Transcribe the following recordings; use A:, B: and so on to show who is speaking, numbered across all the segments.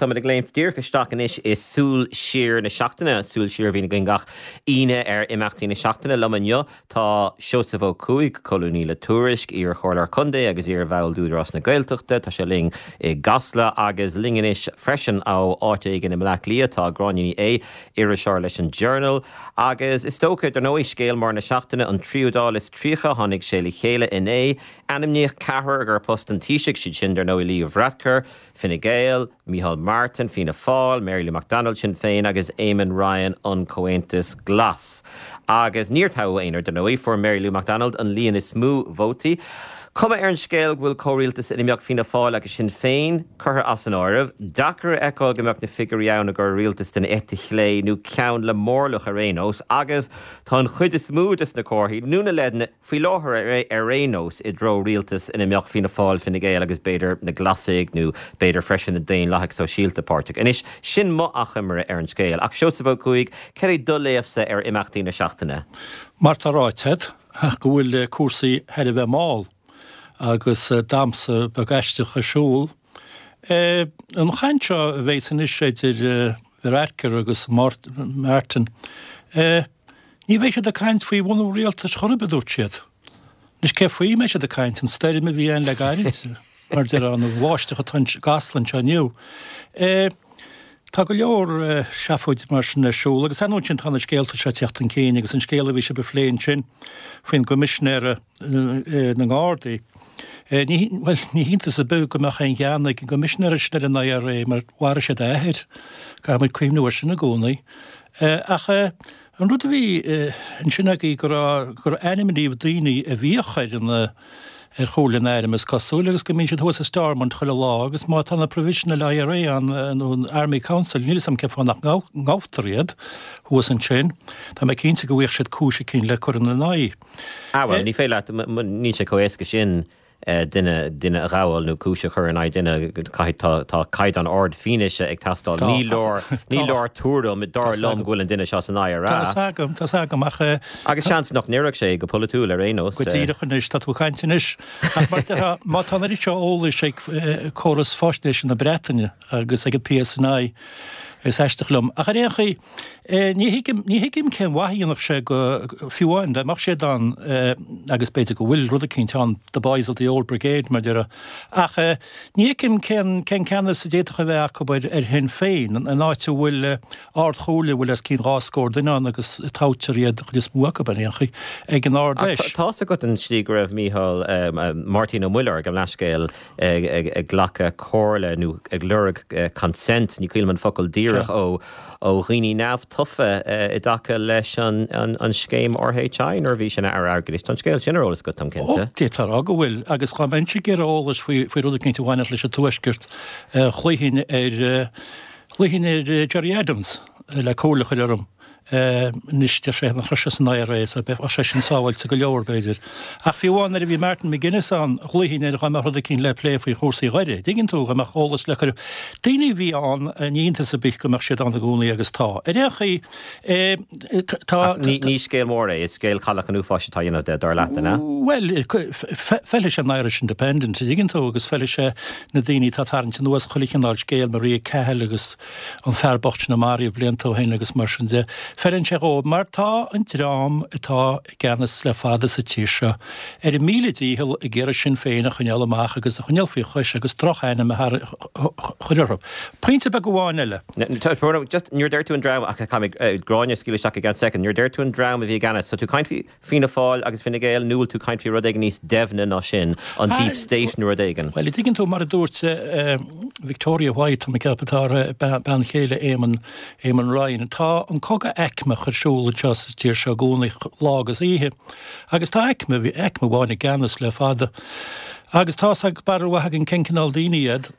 A: táimid ag léimt díreach isteach anois i Súil Siar na Seachtaine, súil siar a bhíonn againn gach Aoine ar imeachtaí na seachtaine. Liom inniu tá Seosamh Ó Cuaig, colúnaí le Tuairisc, iar-chomhairleoir contae agus iar-bhall d'Údarás na Gaeltachta. Tá sé linn i gCasla agus linn anois freisin ó áit éigin i mBleá Cliath tá Gráinne Ní Aodha, iriseoir leis an Journal. Agus is dócha, dar ndóigh, scéal mór na seachtaine, an tríú Dáil is 30, tháinig sé le chéile inné. Ainmníodh ceathrar ar post an Taoisigh, siad sin, dar ndóigh, Leo Varadkar, Fine Gael, Micheál Martin, Fianna Fáil, Mary Lou McDonald, Sinn Féin, agus Eamon Ryan, an Comhaontas Glas. Agus níor toghadh aon, dar ndóigh, fuair Mary Lou McDonald an líon is mó vótaí. Cuma ar an scéal go bhfuil comhrialtas ina mbeadh Fianna Fáil agus Sinn Féin curtha as an áireamh. Deacair a fheiceáil go mbeadh na figiúirí ann i gcomhair rialtas den eite chlé nó ceann le mórlach ar aon nós agus tá an chuid is mó des na comharthaí nó na leideanna faoi láthair ar aon nós, i dtreo rialtas ina mbeadh Fianna Fáil, Fine Gael agus b'fhéidir na Glasaigh nó b'fhéidir freisin na Daonlathaigh Sóisialta páirteach. Anois, sin mo achoimre ar an scéal. Ach Seosamh Ó Cuaig, cad é do léamhsa ar imeachtaí na seachtaine?
B: Mar tá ráite agat, go bhfuil cúrsaí thar a bheith mall agus damhsa beag aisteach ar siúl. An chaint seo a bheas anois idir Varadkar agus Martin, Ní bheidh siad ag caint faoi bhunú rialtais chor ar bith, a dúirt siad. Anois cé faoi a mbeidh siad ag caint? An stoirm a bhí ann le gairid, mar a déarfá, an bháisteach atá i gCasla anseo inniu. Tá go leor seafóid mar sin ar siúl agus ar ndóigh ansin tá na scéalta seo ag teacht chun cinn agus an scéal a bhí sibh a phlé ansin faoin gCoimisinéara na nGardaí. Ní, bhuel, ní hiontas ar bith go mbeadh aon ghean ag an gCoimisinéara sin ar an IRA mar mharaigh siad a athair. Caithfidh muid cuimhniú air sin i gcónaí. Ach an rud a bhí ansin agaibh go raibh, gur ainmníodh daoine a bhíodh ar an, ar Chomhairle an Airm is cosúil agus go mbíonn siad thuas i Stormont chuile lá agus má tá na Provisional IRA ann nó an Army Council, níl 'fhios a'm cén fáth nach ngabhtar iad thuas ansin. Tá mé cinnte go bhfaigheadh siad cúis eicínt le cur ina n-aghaidh.
A: Ah bhuel, ní féidir leat, níl sé chomh éasca sin duine, duine a ghabháil nó cúis a chur in aghaidh duine, caithfidh, tá, tá caighdeán ard fianaise ag teastáil. Tá, Ní leor, ní leor tuairim, dar liom go bhfuil an duine seo san IRA.
B: Tá 'fhios agam, tá 'fhios agam, ach.
A: Agus seans nach n-oirfeadh sé go polaitiúil ar aon nós.
B: Go díreach anois, tá tú ag caint anois. Ach mar déarfá, má tá an oiread seo eolais ag córas faisnéise na Breataine agus ag an PSNI, is aisteach liom. Ach ar aon chaoi, Ní thuigim, ní thuigim cén mhaith a dhéanfadh sé go, fiú amháin dá mbeadh siad ann, agus b'fhéidir go bhfuil rud eicínt ann, the boys of the old brigade, mar a déarfá. Ach ní fheicim cén, cén ceannas a d'fhéadfadh a bheith acu ar, ar Shinn Féin, in áit a bhfuil Ard-Chomhairle a bhfuil os cionn 20 duine ann agus toghtar iad, an chuid is mó acu ar aon chaoi, ag an
A: Ard-Fheis. Tá's agat an tslí go raibh Mícheál, Máirtín Ó Muilleoir, gabh mo leithscéal, ag glacadh comhairle nó ag lorg consent, ní cuimhin liom an focal díreach, ó dhaoine neamhtofa i dtaca leis an scéim RHI nuair a bhí sé ina Aire Airgeadais. Tá an scéal sin ar eolas agat, táim
B: cinnte. Ó, d'fhéadfá a rá go bhfuil, agus dá mbeinnse ag iarraidh eolais faoi rud eicínt a bhainfeadh leis an Tuaisceart, ghlaofainn ar, ghlaofainn ar Gerry Adams le comhairle a chur orm. Anois deir sé nach raibh sé san IRA so bheadh sé sin sábháilte go leor, b'fhéidir. Ach fiú amháin nuair a bhí Martin McGuinness ann, ghlaofainn air dá mbeadh rud eicínt le plé faoi chúrsaí Dhoire. Dtuigeann tú, dá mbeadh eolas le cur. Daoine a bhí ann, ní hiontas ar bith go mbeadh siad ann i gcónaí agus tá. Ar aon chaoi, tá.
A: Ach ní scéal mór é, is scéal Chailleach an Uafáis atá á dhéanamh de, dar leat, an ea?
B: Bhuel, feilfidh sé an Irish Independent, a dtuigeann tú, agus feilfidh sé na daoine atá ag tarraingt anuas chuile chineál scéal, Maria Cahill agus. an fear bocht sin a maraíodh blianta ó shin agus mar sin de. Feileann sé dhóibh mar tá an dream atá i gceannas le fada sa tír seo ar a míle dícheall ag iarraidh Sinn Féin a choinneáil amach agus a choinneáil faoi chois agus droch-ainm a chur orthu. Pointe beag amháin eile.
A: Just nuair a deir tú an dream, ach caithfidh mé Gráinne a scaoileadh isteach i gceann soicind, nuair a deir tú an dream a bhí i gceannas, tá tú ag caint faoi Fianna Fáil agus Fine Gael, nó bhfuil tú ag caint faoi rud éigin níos doimhne ná sin, an deep state nó rud éigin?
B: Bhuel, an dtuigeann tú, mar a dúirt Victoria White, tá mé ag ceapadh atá uirthi, bean chéile Éamon, Éamon Ryan, tá an cogadh aicmeach ar siúl anseo sa tír seo i gcónaí, lá agus oíche. Agus tá aicme, bhí aicme amháin i gceannas le fada. Agus tá's ag barúil mhaith againn cén cineál daoine iad,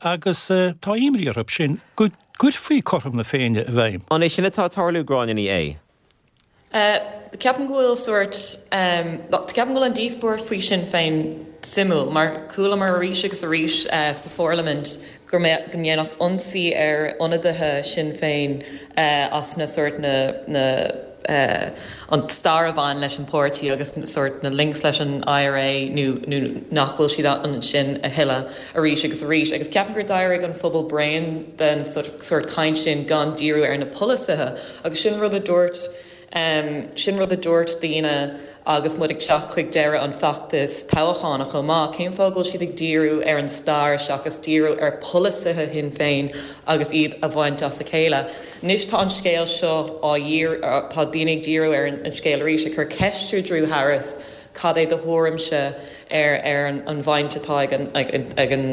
B: agus tá imní orthu sin go gcuirfí cothrom na Féinne i bhfeidhm.
A: An é sin atá ag tarlú, Gráinne Ní Aodha?
C: Ceapaim go bhfuil sórt, ceapaim go bhfuil an díospóireacht faoi Sinn Féin suimiúil mar chualamar arís agus arís sa pharlaimint go mbeadh, go ndéanfadh ionsaí ar ionadaithe Sinn Féin as na sórt na, na. an stair a bhain leis an páirtí agus sórt na links leis an IRA nó nó nach bhfuil siad ansin a thuilleadh arís agus arís agus ceapaim gur d'éirigh an phobal bréan den sórt caint sin gan díriú ar na polasaithe agus sin rud a dúirt Sin rud a dúirt daoine agus muid ag teacht chuig deireadh an feachtais toghcháin chomh maith, cén fáth go bhfuil siad ag díriú ar an stair seachas díriú ar pholasaithe Shinn Féin agus iad a bhaint as a chéile? Anois tá an scéal seo á tá daoine ag díriú ar an scéal arís, ag cur ceist ar Drew Harris cad é do thuairimse ar ar an bhaint atá ag an ag an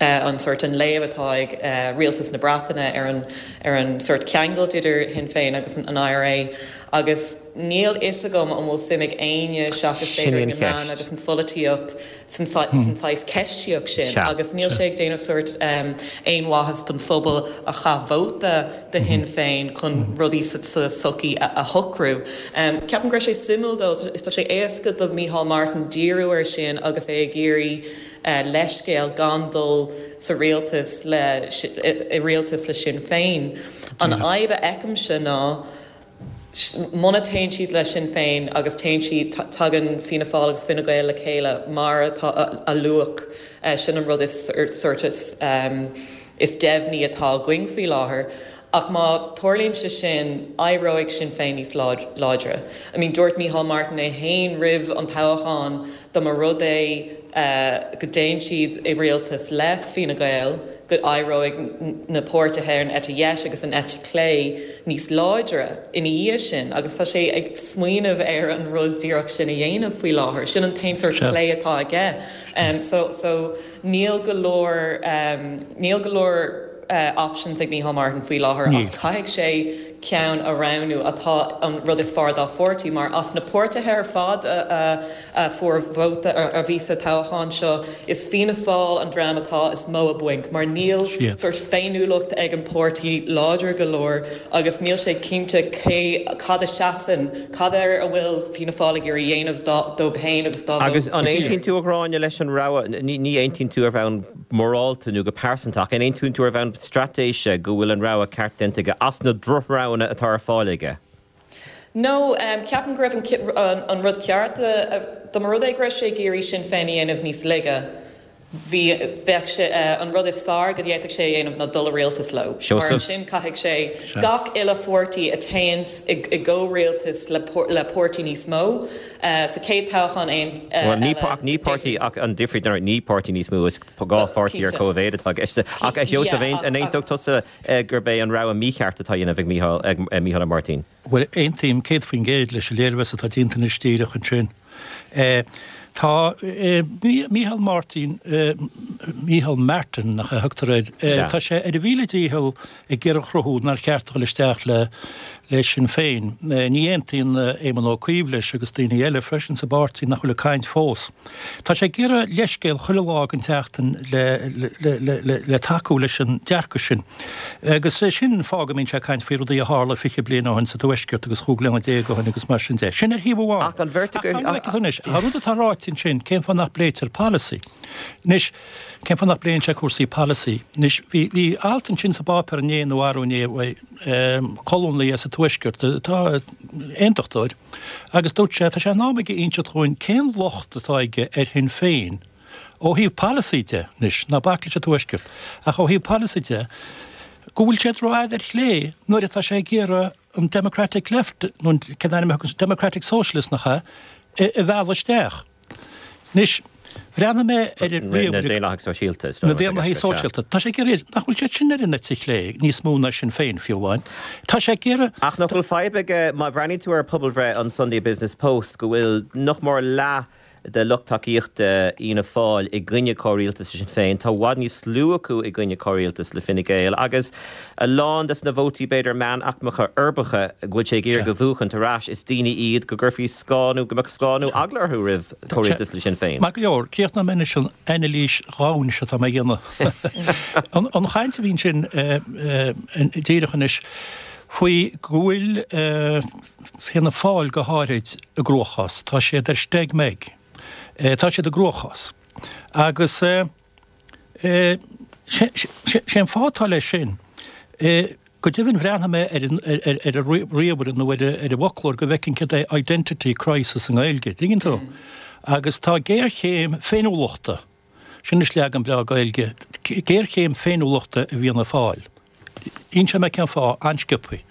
C: an sórt an léamh atá ag rialtas na Breataine ar an ar an sórt ceangailt idir Shinn Féin agus an IRA agus níl fhios agam an bhfuil suim ag éinne seachas
A: Sin
C: b'fhéidir
A: í
C: ag
A: an
C: na meáin
A: cheist.
C: agus an pholaitíocht san san saghas ceistíocht sin
A: Sea.
C: agus níl sé ag déanamh sórt aon mhaitheas don phobal a chaith vóta do Shinn Féin chun rudaí sa sa tsochaí a a shocrú. Ceapaim go raibh sé suimiúil though is tá sé éasca do Micheál Martin díriú ar sin agus é ag iarraidh leithscéal gan dul sa rialtas le i rialtas le Sinn Féin. An fhadhb a fheicimse ná muna téann siad le Sinn Féin agus téann siad tagann Fianna Fáil agus Fine Gael le chéile mar atá a luadh sin an rud is sórt is is deimhní atá againn faoi láthair. Ach má tarlaíonn sé sin, éireoidh Sinn Féin níos láidre. I mean, dúirt Micheál Martin é féin roimh an toghchán, dá mba rud é go dtéann siad i rialtas le Fine Gael, go éireoidh na páirtithe ar an eite dheis agus an eite chlé níos láidre ina dhiaidh sin. Agus tá sé ag smaoineamh ar an rud díreach sin a dhéanamh faoi láthair. Sin an t-aon sórt plé atá aige. So, so níl go leor, níl go leor. options ag Micheál Martin faoi láthair ach caithfidh sé ceann a roghnú atá an rud is fearr dá pháirtí mar as na páirtithe ar fad a fuair vóta a bhí sa toghchán seo is Fianna Fáil an dream atá is mó i bponc mar níl sórt féiniúlacht ag an páirtí láidir go leor agus níl sé cinnte cé cad a seasann cad air a bhfuil Fianna Fáil ag iarraidh dhéanamh dóibh féin agus dá
A: Agus an aontaíonn tú a Ghráinne leis an rogha ní aontaíonn tú ar bhonn morálta nó go pearsanta, ach an aontaíonn tú ar bhonn straitéise go bhfuil an rogha ceart déanta aige as na drochroghanna atá ar fáil aige?
C: No, ceapaim go raibh an rud ceart, dá mba rud é go raibh sé ag iarraidh Sinn Féin a dhéanamh níos laige, bhí, bheadh sé, an rud is fearr go bhféadfadh sé a dhéanamh ná dul i rialtas leo, mar ansin caithfidh sé gach uile pháirtí a théanns i gcomhrialtas le páirtí níos mó, Sa chéad toghchán aon
A: Bhuel, ní ach ní páirtí ach an difríocht ná ní páirtí níos mó, is dhá pháirtí ar cóimhéid atá i gceist. Ach a Sheosaimh, an aontódh tusa gurb é an rogha mícheart atá á dhéanamh ag Mícheál, ag Mícheál Ó Máirtín?
B: Bhuel, aontaím 100% leis an léirmheas atá déanta anois díreach ansin. Tá Mícheál Máirtín, Mícheál Martin nach é a thugtar air, tá sé ar a mhíle dícheall ag iarraidh a chruthú nár cheart a dhul isteach le le Sinn Féin. Ní aontaíonn Éamon Ó Cuív leis agus daoine eile freisin sa bpáirtí nach bhfuil ag caint fós. Tá sé ag iarraidh leithscéal chuile lá den tseachtain le le le le tacú leis an dearcadh sin. Agus sin an fáth go mbíonn sé ag caint faoi rudaí a tharla 20 bliain ó shin sa Tuaisceart agus chúig bliana déag ó shin agus mar sin de. Sin ar thaobh amháin.
A: Ach an bheirt
B: agaibh. Ach anois, an rud atá ráite ansin, cén fáth nach bpléitear polasaí? Anois, Cén fáth nach bpléann sé cúrsaí polasaí? Anois, bhí, bhí alt ansin sa bpáipéar inné nó arú inné uaidh colúnaí as an Tuaisceart atá aontachtóir agus dúirt sé, tá sé in am aige inseacht dhúinn cén locht atá aige ar Shinn Féin ó thaobh polasaí de, anois, ná bac leis an Tuaisceart, ach ó thaobh polasaí de, go bhfuil siad rófhada ar chlé nuair atá sé ag iarraidh an Democratic Left, nó cén ainm a thugann, Democratic Socialist nach ea, a mhealladh isteach. Anois, bhreathnaigh mé ar an
A: ríomhaire. Na Daonlathaigh Sóisialta, is
B: dóigh. Na Daonlathaigh Sóisialta. Tá sé ag iarraidh, nach bhfuil siad sin ar an eite chlé níos mó ná Sinn Féin, fiú amháin. Tá sé ag iarraidh.
A: Ach nach bhfuil fadhb aige, má bhreathnaíonn tú ar pobalbhreith an Sunday Business Post, go bhfuil nach mór leath de lucht tacaíochta Fhianna Fáil i gcoinne comhrialtas le Sinn Féin, tá i bhfad níos lú acu i gcoinne comhrialtas le Fine Gael agus a lán des na vótaí b'fhéidir meánaicmeacha uirbeacha go bhfuil sé ag iarraidh a bhuachaint ar ais, is daoine iad go gcuirfí scáth nó go mbeadh scáth nó eagla orthu roimh chomhrialtas le Sinn Féin.
B: Maith go leor, críochnóidh mé anois an anailís dhomhain seo atá mé a dhéanamh. An chaint a bhí ansin díreach anois faoi go bhfuil Fianna Fáil go háirid i gcruachás, tá siad ar steig meig, tá siad i gcruachás. Agus sé an fáth atá leis sin. Go deimhin bhreathnaigh mé ar an ar an ríomhaire nó ar an bhfoclóir go bhfeicfinn céard é identity crisis i nGaeilge, tuigeann tú? Agus tá géarchéim féiniúlachta, sin is leagan breá Gaeilge, géarchéim féiniúlachta i bhFianna Fáil. Inseoidh mé cén fáth, an-sciobtha.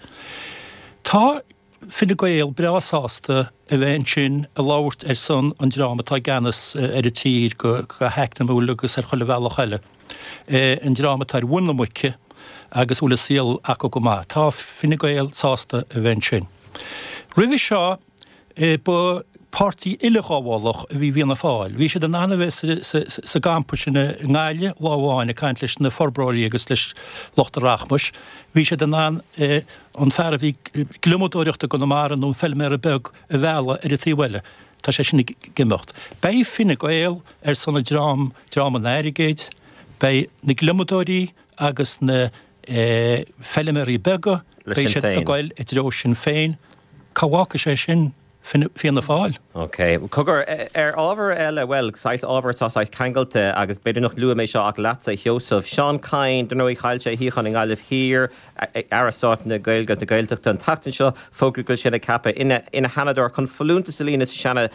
B: Tá Fine Gael breá sásta a bheith ansin ag labhairt ar son an dream atá i gceannas ar an tír go heacnamúil agus ar chuile bhealach eile, an dream atá ar mhuin na muice agus a bhfuil an saol acu go maith. Tá Fine Gael sásta a bheith ansin. Roimhe seo, Ba páirtí uileghabhálach a bhí i bhFianna Fáil. Bhí siad in ann a bheith sa gcampa sin i nGaillimh lá amháin ag caint leis na forbróirí agus leis lucht an rachmais. Bhí siad in ann an fear a bhí ag gliomadóireacht i gConamara nó an feilméara beag a mhealladh ar an taobh eile. Tá sé sin ag imeacht. Beidh Fine Gael ar son an dream, dream an airgid, beidh na gliomadóirí agus na feilméaraí beaga, beidh siad ag goil i dtreo Sinn Féin. Cá bhfágfaidh sé sin Fianna Fáil?
A: Ok. Cogar, ar ábhar eile, bhuel, saghas ábhar atá saghas ceangailte agus b'fhéidir nach luaigh mé seo ach leatsa, a Sheosaimh. Seán Kyne, dar ndóigh, chaill sé a shuíochán i nGaillimh Thiar, Aire Stáit na Gaeilge agus na Gaeltachta an tseachtain seo, fógraíodh go bhfuil sé ceaptha ina Sheanadóir chun folúntas a líonadh sa Seanad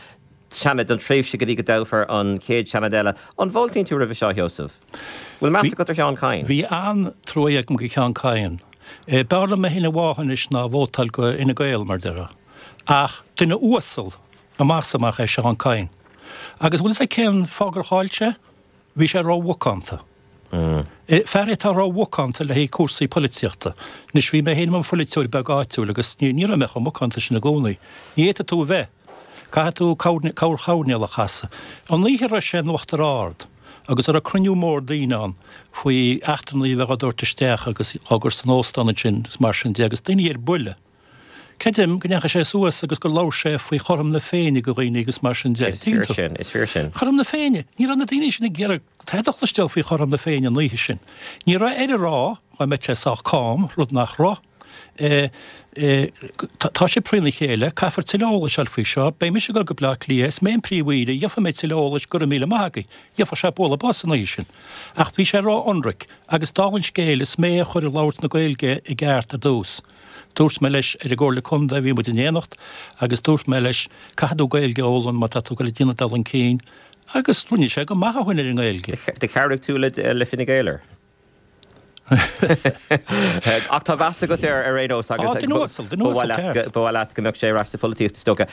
A: Seanad don tréimhse go dtí go dtoghfar an chéad Seanad eile. An bhfáiltíonn tú roimhe seo, a Sheosaimh? Bhfuil meas agat ar Sheán Kyne?
B: Bhí an-truaighe agam go Sheán Kyne. B'fhearr liom mé féin a bháthadh anois ná vótáil go Fhine Gael, mar déarfá. Ach duine uasal amach is amach é Seán Kyne. Agus bhfuil fhios agat cén fáth gur chaill sé? Bhí sé ró-mhacánta. Fear é atá ró-mhacánta le haghaidh cúrsaí polaitíochta. Anois, bhí mé féin i mo pholaiteoir beag áitiúil agus ní raibh mé chomh macánta sin i gcónaí. Ní fhéadfaidh tú a bheith. Caithfidh tú corr choirnéal a chasadh. An oíche a raibh sé in Uachtar Ard agus a raibh cruinniú mór daoine ann faoi eachtrannaigh a bheith á dtabhairt isteach agus á gcur san óstán ansin is mar sin de agus daoine ar buile. Creidim go ndeachaigh sé suas agus gur labhair sé faoi chothrom na Féinne go dhaoine agus mar sin de.
A: Is fíor sin, is fíor sin.
B: Cothrom na Féinne! Ní raibh na daoine sin ag iarraidh tada a chloisteáil faoi chothrom na Féinne an oíche sin. Ní raibh air a rá, dá mbeadh sé sách cám, rud nach raibh. Tá sé trína chéile, caithfear tuilleadh eolais a fháil faoi seo. Beidh mise ag dul go Bleá Cliath, is mé an Príomh-Aoire, gheobhaidh mé tuilleadh eolais, go raibh míle maith agaibh. Gheobhadh sé bualadh bos an oíche sin. Ach bhí sé ró-ionraic, agus dála an scéil, is mé a chuir labhairt na Gaeilge i gceart ar dtús. Dúirt mé leis ar an gComhairle Contae, bhí muid in éineacht, agus dúirt mé leis, caithfidh tú Gaeilge a fhoghlaim má tá tú ag dul ag déanamh dul chun cinn, agus rinne sé go maith ó shin ar an nGaeilge.
A: Do chabhraigh tú le Fine Gael air. Ach tá meas agat air ar aon nós agus
B: Á, duine uasal, duine uasal ceart.
A: ba mhaith leat go mbeadh sé ar ais sa pholaitíocht is dócha.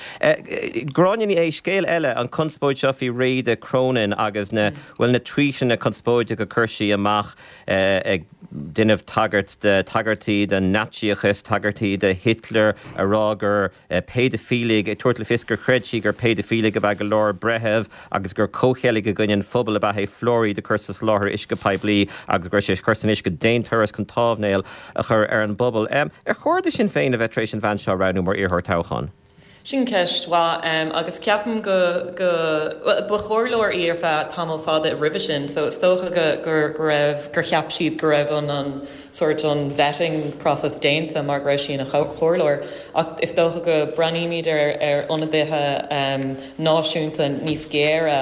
A: Gráinne Ní Aodha, scéal eile, an chonspóid seo faoi Bhríde Cronin agus na, bhuel, na tvuíteanna conspóideacha a chuir sí amach ag déanamh tagairt de, tagairtí don Naitsíochas, tagairtí do Hitler, a rá gur péidifiligh, ag tabhairt le fios gur chreid sí gur péidifiligh ab ea go leor breitheamh agus gur comhcheilg i gcoinne an phobail ab ea é fluairíd a chur sa soláthar uisce poiblí agus go raibh sé curtha san uisce d'aon turas chun támhnéal a chur ar an bpobal. Ar chóir do Shinn Féin a bheith tar éis an bhean seo a roghnú mar iarrthóir toghcháin?
C: Sin ceist mhaith agus ceapaim go, go, bhuel, ba chomhairleoir í ar feadh tamall fada roimhe sin so is dócha go, go, go raibh, gur cheap siad go raibh an, an sort an vetting process déanta mar go raibh sí ina chomhairleoir ach is dócha go breathnaímid ar, ar ionadaithe náisiúnta níos géire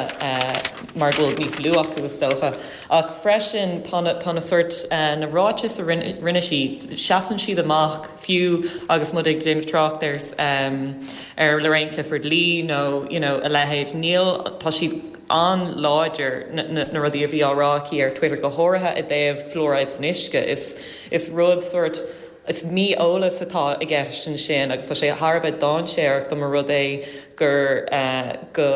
C: mar go bhfuil níos lú acu is dócha. Ach freisin tá na, tá na sort, na ráitis a rinne, rinne sí, seasann siad amach. Fiú agus muid ag déanamh trácht ar ar Lorraine Clifford-Lee nó you know a leithéid, níl, tá siad an-láidir, na na rudaí a bhí á rá aici ar Twitter, go háirithe i dtaobh fluoride san uisce. Is is rud sort, is mí-eolas atá i gceist ansin agus tá sé thar a bheith dainséarach dá mba rud é gur go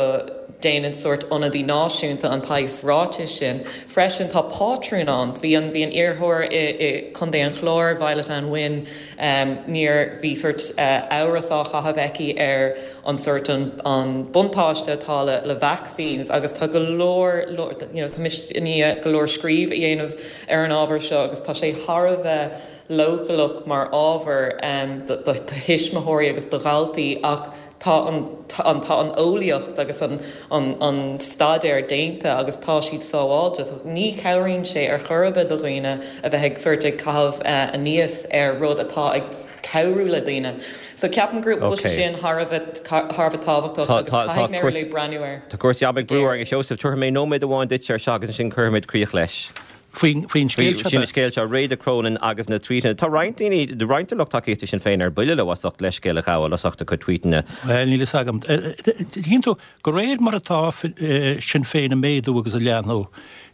C: déanann sórt ionadaí náisiúnta an tsaghas ráitis sin. Freisin tá pátrún ann. Bhí an bhí an iarrthóir i i Contae an Chláir, Violet Ann Wynne, níor bhí sórt amhras á chaitheamh aici ar an sórt an an buntáiste atá le le vaccines agus tá go leor leor you know tá mise i ndiaidh go leor scríobh a dhéanamh ar an ábhar seo agus tá sé thar a bheith leochaileach mar ábhar do do thuismitheoirí agus do dhaltaí ach Tá an an tá an eolaíocht agus an an an staidéar déanta agus tá siad sábháilte. Ní chabhraíonn sé ar chor ar bith do dhaoine a bheith ag sórt ag caitheamh aníos ar rud atá ag cabhrú le daoine. So ceapaim go bhfuil sé sin thar a bheith thar a bheith tábhachtach agus caithfidh Mary Lou breathnú air
A: Tá cúrsaí ama ag brú orainn, a Sheosaimh. Tabharfaidh mé nóiméad amháin duit ar seo agus ansin cuirfimid críoch leis.
B: Faoin scéal
A: seo. Sin scéal seo, Réada Cronin agus na tvuíteanna. Tá roinnt daoine, roinnt de lucht tacaíochta Sinn Féin ar buile leo as ucht leithscéal a ghabháil as ucht a cuid tvuíteanna.
B: Bhuel, níl fhios agam. Tuigeann tú, de réir mar atá Sinn Féin ag méadú agus ag leathnú,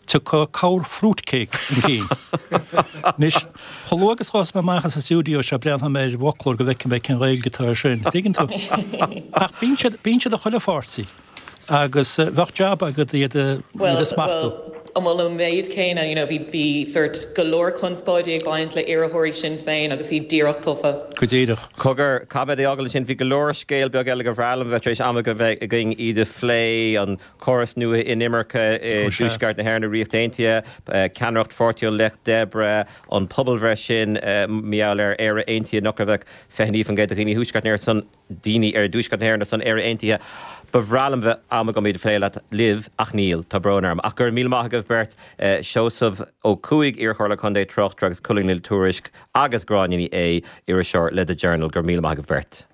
B: tiocfaidh cabhair fruitcake chun cinn. Anois, chomh luath agus a ghabhfas mé amach as an stiúideo seo, breathnóidh mé ar an bhfoclóir go bhfeicfidh mé cén Ghaeilge atá air sin. Tuigeann tú? Ach bíonn siad, bíonn siad i chuile pháirtí. Agus bheadh jab agat iad a smachtú.
C: Bhuel, an bhfuil an méid céanna, you know, bhí, bhí sort go leor conspóidí ag baint le iarrthóirí Sinn Féin agus iad díreach tofa.
B: Go díreach.
A: Cogar, caithfidh mé é a fhágáil ansin, bhí go leor scéal beag eile gur bhreá liom a bheith tar éis am a bheith againn iad a phlé, an córas nua inimirce i dTuaisceart na hÉireann, i Ríocht Aontaithe, ceannaireacht Pháirtí an Lucht Oibre, an pobalbhreith sin, mar gheall ar Éire Aontaithe, nach raibh ach 29% de dhaoine Thuaisceart na hÉireann ar son. daoine i dTuaisceart na hÉireann ar son Éire Aontaithe. Ba bhreá liom bheith am agam iad a phlé leat, libh, ach níl. Tá brón orm. Ach go raibh míle maith agaibh beirt, Seosamh Ó Cuaig, iarchomhairleoir contae, tráchtaire agus colúnaí le Tuairisc, agus Gráinne Ní Aodha, iriseoir le The Journal. Go raibh míle maith agaibh beirt.